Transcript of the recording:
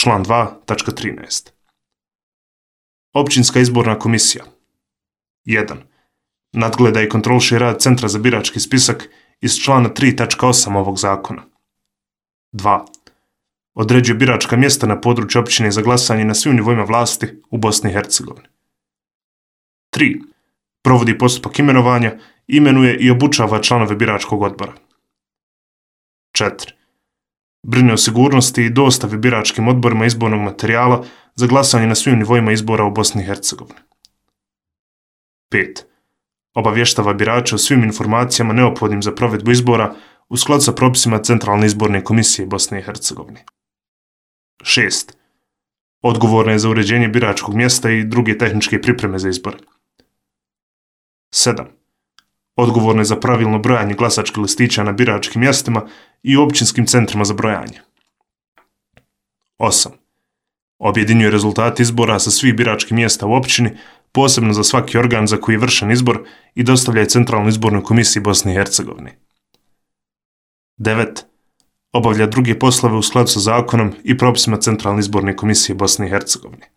član 2.13. Općinska izborna komisija 1. Nadgleda i kontroliše rad Centra za birački spisak iz člana 3.8 ovog zakona. 2. Određuje biračka mjesta na području općine za glasanje na svim nivoima vlasti u Bosni i Hercegovini. 3. Provodi postupak imenovanja, imenuje i obučava članove biračkog odbora. 4. Brine o sigurnosti i dostavi biračkim odborima izbornog materijala za glasanje na svim nivoima izbora u Bosni i Hercegovini. 5. Obavještava birače o svim informacijama neophodnim za provedbu izbora u skladu sa propisima Centralne izborne komisije Bosne i Hercegovine. 6. Odgovorna je za uređenje biračkog mjesta i druge tehničke pripreme za izbore. 7. Odgovorna je za pravilno brojanje glasačkih listića na biračkim mjestima i općinskim centrima za brojanje. 8. Objedinjuje rezultate izbora sa svih biračkih mjesta u općini, posebno za svaki organ za koji je vršen izbor i dostavlja je Centralnoj izbornoj komisiji Bosne i Hercegovine. 9. Obavlja druge poslove u skladu sa zakonom i propisima Centralne izborne komisije Bosne i Hercegovine.